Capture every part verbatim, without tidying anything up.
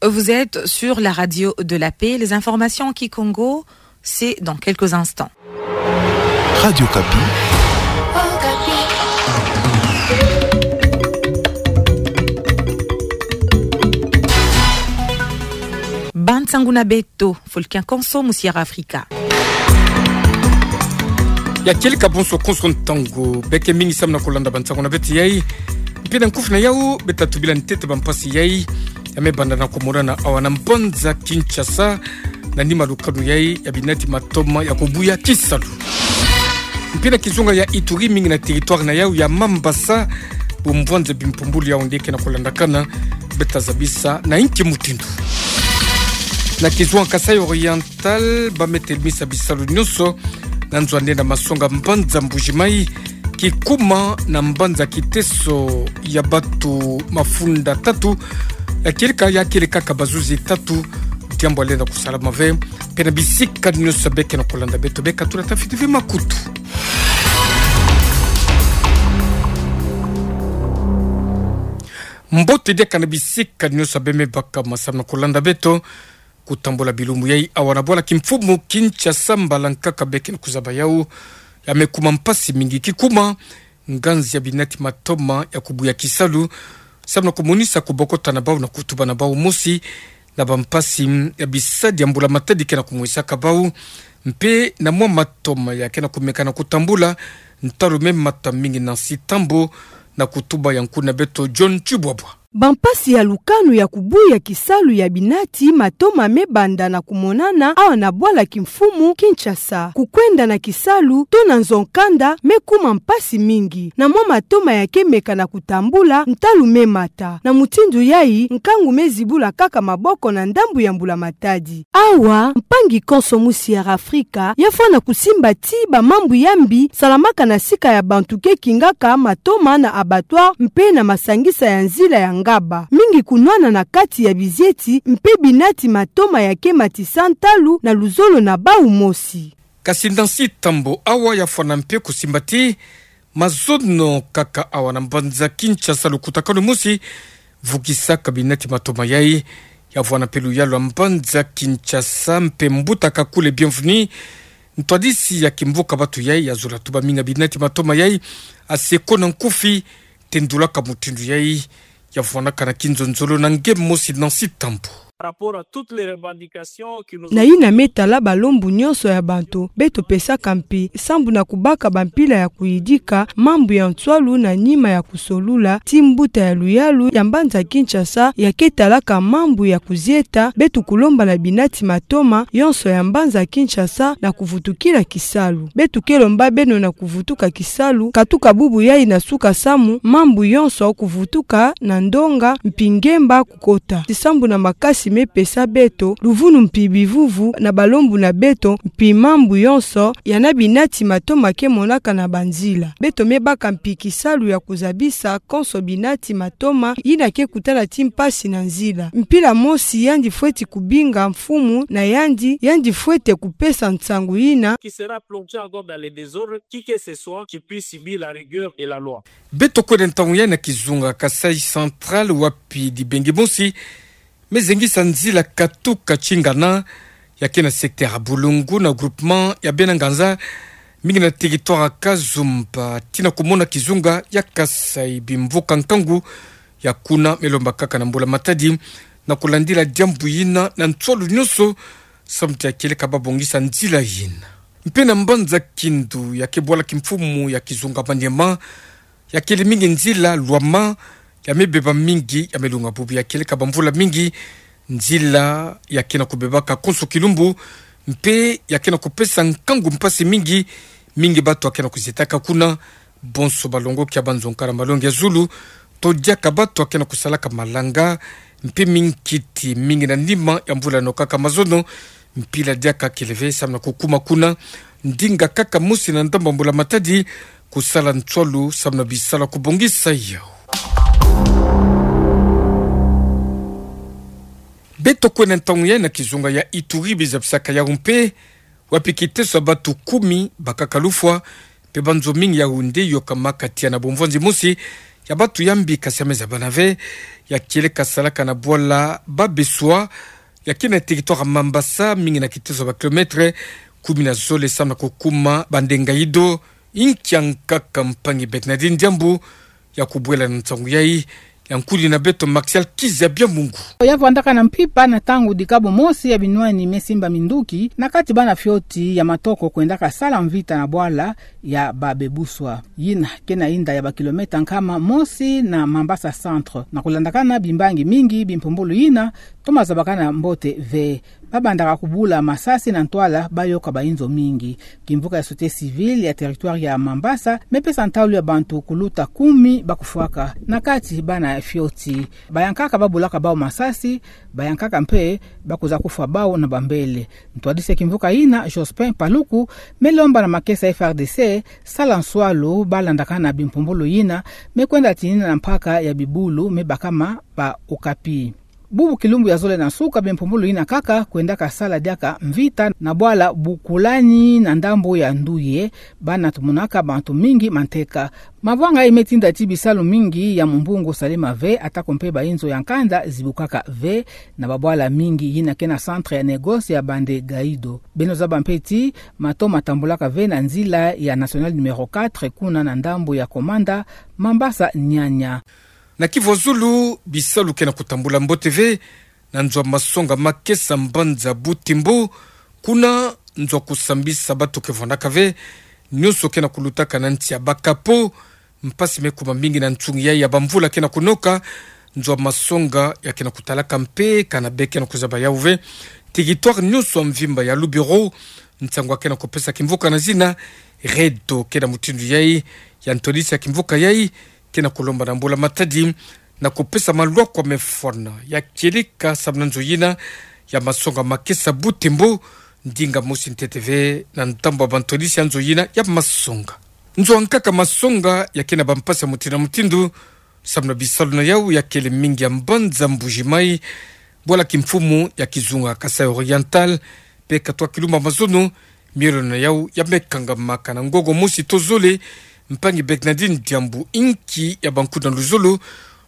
Vous êtes sur la radio de la paix. Les informations en kikongo, c'est dans quelques instants. Radio Okapi. Ba nsangu na beto, fulu kia konso, musi ya Afrika. Ya kieleka bonso konso ntangu, beke mingi samu na kulanda ba nsangu na beto yai. Mpe na nkufi na yau, beta tubila ntete ba mpasi yai ya me banda na kumonana awa na mbanza Kinshasa, na nima lukanu yai ya binati matoma ya kubuya kisalu. Mpe na kizunga ya Ituri, mingi na territoire na yau ya Mambasa, bumvwanza bimpumbulu yau nde ke na kulandakana, beta zabisa na inki mutindu. Na kizunga Kasaï Oriental, ba me telemisa bisalu nyonso na nzo nde na masonga mbanza Mbuji-Mayi, kikuma na mbanza Kiteso ya batu mafunda tatu ya kieleka, ya kieleka kaka bazuzi tatu, diambu ya lenda kusalama ve. Mpe na bisika nyonso beke na kulanda beto, beka tula tafiti ve makutu. Mbote diaka na bisika nyonso be me baka ma samu na kulanda beto. Kutambula bilumbu yai awa na bwala kimfumu Kinshasa, mbala nkaka beke na kuzaba yau ya me kuma mpasi mingi, kikuma nganzi ya binati matoma ya kubuya kisalu, samu na kumonisa kubokota na bau na kutuba na bau mosi na ba mpasi ya bisadi ya mbula matadi ke na kumwisaka bau, mpe na mwa matoma ya ke na kumeka na kutambula ntalu me mata mingi na nsi Tambo, na kutuba ya nkuna beto John Tshibwabwa. Ba mpasi ya lukanu ya kubuya kisalu ya binati matoma me banda na kumonana awa na bwala kimfumu Kinshasa. Kukwenda na kisalu to na nzo nkanda me kuma mpasi mingi, na mwa matoma ya ke meka na kutambula ntalu me mata. Na mutindu yai, nkangu me zibula kaka maboko na ndambu ya mbula matadi. Awa, mpangi konso musi ya Afrika ya fwana kusimba ti ba mambu ya mbi salamaka na sika ya bantu ke kingaka matoma na abattoir mpe na masangisa ya nzila ya ngaba, mingi kunwana na kati ya bizieti mpe binati matoma ya ke matisa ntalu na luzolo na bau mosi. Kasi na nsi Tambo awa ya fwana mpe kusimba ti mazono kaka awa na mbanza Kinshasa lukutakanu mosi vukisaka binati matoma yai, ya vwana mpe luyalu ya mbanza Kinshasa mpe mbuta Kakule Bienvenu, ntwadisi ya kimvuka batu yai, ya zola tuba mingi ya binati matoma yai, aseko na nkufi tendulaka mutindu yai ya vwanaka na kinzonzolo na nge mosi na nsi Tambo. Par rapport à toutes les revendications que nous... Na yina me tala balembu nyonso ya bantu, beto pesaka mpi sambu na kubaka bampila ya kuyidika mambu ya nswalu na nima ya kusolula ti mbuta ya luyalu ya mbanza Kinshasa ya ke talaka mambu ya kuzieta, beto kulomba na binati matoma yonso ya mbanza Kinshasa na kuvutukila kisalu. Beto ke lomba beno na kuvutuka kisalu, katuka bubu yai na suka samu mambu yonso kuvutuka na ndonga mpi ngemba kukota. Ti sambu na makasi me pesa beto luvunu mpi bivuvu na balembu na beto mpi mambu yonso yana binati matoma ke monaka na banzila. Beto me baka mpi kisalu ya kuzabisa konso binati matoma yina ke kutana ti mpasi na nzila. Mpila mosi yandi fweti kubinga mfumu na yandi, yandi fwete kupesa nsangu yina. Qui sera plongé encore dans les désordres, qui que ce soit, qui puisse subir la rigueur et la loi. Beto kwenda ntangu yai na kizunga Kasaï Central, wapi dibengi mosi me zengisa nzila katuka Tshingana, ya ke na secteur ya Boulungu na groupement ya Bena Nganza, mingi na territoire ya Kazumba, tii na kumona kizunga ya Kasaï bimvuka nkangu. Ya kuna me lomba kaka na mbula matadi na kulandila diambu yina na nswalu nyonso, samu ti ya kieleka babongisa nzila yina. Mpe na mbanza Kindu, ya ke bwala kimfumu ya kizunga Maniema, ya kele mingi nzila lwama, ya me beba mingi, ya me lunga bubu ya kieleka bamvula mingi. Nzila ya ke na kubebaka konso kilumbu, mpe ya ke na kupesa nkangu mpasi mingi, mingi batu ya ke na kuzietaka kuna, bonso balongoki ya banzonka na malongi ya zulu, to diaka batu ya ke na kusalaka malanga, mpe minkiti mingi na nima ya mvula nokaka mazono, mpila diaka kele ve samu na kukuma kuna, ndinga kaka mosi na ndambu ya mbula matadi, kusala nswalu samu na bisalu ya kubongisa yau. Beto kwenda ntangu yai na kizunga ya Ituri, bizabisaka yau mpe, wapi kiteso ya batu kumi bakaka lufwa, mpe banzo mingi yau nde yokamaka tiya na bumvwanzi mosi, ya batu yambi kasiame za bana ve, ya kieleka salaka na bwala Babeswa, ya kena territoire Mambasa, mingi na kitezo ba kilomètre kumi na zole samu na kukuma bande Ngaïdo, inkia nkaka mpangi Bernardine Diambu, ya kubwela na nsangu yayi, ya nkudi na beto Martial Kizabia Mungu. Ya vwandaka na mpimpa na ntangu dikabu mosi ya binwani me simba minduki, na kati bana fioti ya matoko kwendaka sala mvita na bwala ya Babeswa. Yina kena inda ya ba kilomètre nkama mosi na Mambasa Centre. Na kulandakana bimbangi mingi bimpumbulu yina, toma zabakana mbote ve. Babandaka kubula masasi na ntwala, bayoka ba inzo mingi. Kimvuka ya société civile ya territoire ya Mambasa me pesa ntalu ya bantu kuluta kumi bakufwaka, na kati bana fioti. Bayankaka babulaka bawu masasi, bayankaka mpe bakuza kufwa bawu na bambele. Ntwadisi ya kimvuka yina, Jospin Paluku, me lomba na makesa F R D C sala nswalu balandakana bimpumbulu yina, me kwenda tinina na mpaka ya bibulu me bakama ba Okapi. Bubu kilumbu ya zole na nsuka, bimpumbulu yina kaka kwendaka sala diaka mvita na bwala Bukulani na ndambu ya Nduye, bana tumonaka bantu mingi manteka. Mavwanga yayi me tinda ti bisalu mingi ya mumbungu salema ve, atako mpe ba inzo ya nkanda zibukaka ve, na babwala mingi yina kena centre ya négoce ya bande Ngaïdo. Beno zaba mpe ti mato matambulaka ve na nzila ya nationale numéro quatre, kuna na ndambu ya Komanda, Mambasa Niania. Na Kivu ya zulu, bisalu kena kutambula mbote ve na nzo ya masonga makesa mbanza Butembo, kuna nzo ya kusambisa bato ke vwandaka ve, nyonso kena kulutaka na nti ya ba capot. Mpasi me kuma mingi na nsungi yayi ya bamvula kena kunoka. Nzo ya masonga ya kena kutalaka mpe kana be kena kuzaba yawu ve. Territoire nyonso ya mvimba ya Lubero, nsangu ya kena kupesa kimvuka na zina REDD kena mutindu yayi. Ya ntwadisi ya kimvuka yayi kena kulomba na mbula-matadi na kupesa malwakwa me fwana ya kieleka samu na nzo yina ya masonga makesa Butembo, ndinga mosi ntete ve na ntambu ya bantwadisi ya nzo yina ya masonga. Nzo ya nkaka masonga ya kena bampasi ya mutindu na mutindu samu na bisalu na yawu ya kele mingi ya mbanza Mbuji-Mayi, bwala kimfumu ya kizunga Kasaï Oriental, mpe katwa kilumbu ya mazono, mielo na yawu ya me kangamaka. Na ngongo mosi to zole, mpangi Bernardine Diambu, inki ya bankuna luzolo,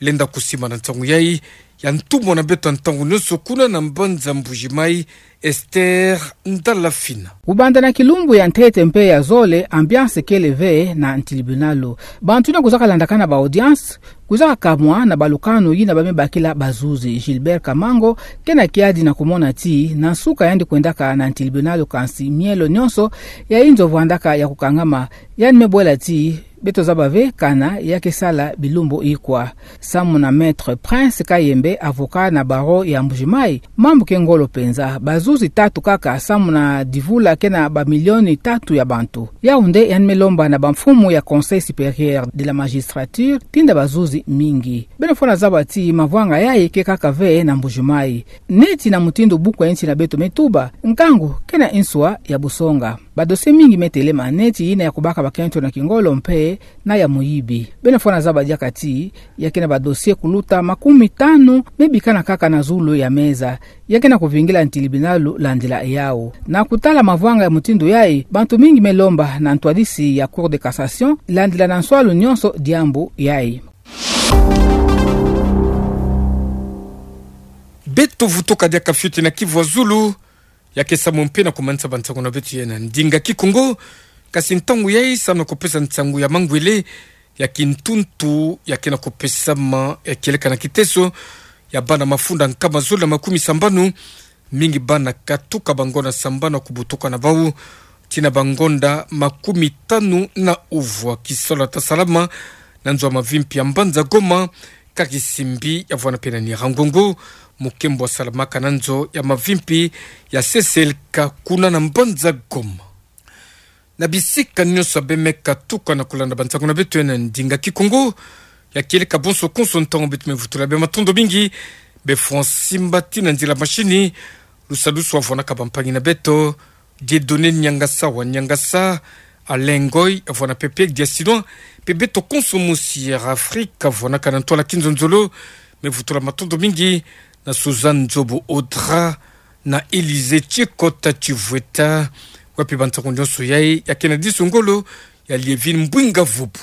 lenda kusimba na nsangu yayi ya ntumwa na beto ya ntangu nyonso kuna na mbanza Mbuji-Mayi, Esther Ndalafina. Kubanda na kilumbu ya ntete mpe ya zole, ambiance kele ve na ntilibinalu. Bantu yina kwizaka landakana ba audience kwizaka kamwa na balukanu yina ba me bakila bazuzi. Gilbert Kamango, kena kiadi na kumona ti na nsuka yandi kwendaka na ntilibinalu, kansi mielo nyonso ya inzo vwandaka ya kukangama. Yandi me bwela ti beto zaba ve kana ya ke sala bilumbu ikwa. Samu na Maître Prince Kayembe, avocat na barreau ya Mbuji-Mayi, mambu ke ngolo penza. Bazuzi tatu kaka samu na divula kena ba milioni tatu ya bantu. Yawu nde yandi me lomba na bamfumu ya Conseil supérieur de la magistrature tinda bazuzi mingi. Beno fwana zaba ti mavwanga yayi ke kaka ve na Mbuji-Mayi. Neti na mutindu buku ya nsi na beto me tuba, nkangu kena nswa ya busonga. Ba dossier mingi me telema, neti yina ya kubaka bakento na kingolo mpe na ya muyibi. Beno fwana zaba diaka ti ya kena ba dossier kuluta makumi tanu me bikana kaka na zulu ya meza, ya kena kuvingila ntilibinalu landila yawu. Na kutala mavwanga ya mutindu yayi, bantu mingi me lomba na ntwadisi ya Cour de cassation landila na nswalu nyonso diambu yayi. Beto vutuka diaka fioti na Kivu ya zulu, ya ke samu mpe na kumanisa bansangu na beto ya na ndinga Kikongo. Kasi ntangu yayi samu na kupesa nsangu ya mangwele ya kintuntu ya kena kupesama ya kieleka na kiteso ya bana mafunda nkama zole na makumi sambanu, mingi bana katuka bangonda sambanu ya kubutuka na bawu tii na bangonda makumi tanu na uvwa. Kisalu ya ta salama na nzo ya mavimpi ya mbanza Goma, kaka kisimbi ya vwanda mpe na Nyiragongo, mukembo ya salamaka na nzo ya mavimpi ya C C L K kuna na mbanza Goma. Na bisika nyonso ya be me katuka na kulanda bansangu na beto ya na ndinga Kikongo, ya kieleka bonso konso ntangu beto me vutula be matondo mingi. Be fwa nsimba tii na nzila mashini, lusadusu ya vwandaka bampangi na beto, Dieudonné Niangasa wa Niangasa, Alain Ngoy, ya vwanda mpe Pierre Diasinois, mpe beto konso mosi ya Air Afrique ya vwandaka na ntwala kinzonzolo, me vutula matondo mingi na Suzanne Nzobo Audra, na Élysée Tchikota Tchivweta, wapi bansangu nyonso yayi ya kena disu ngolo ya Lievine Mbwinga Vubu.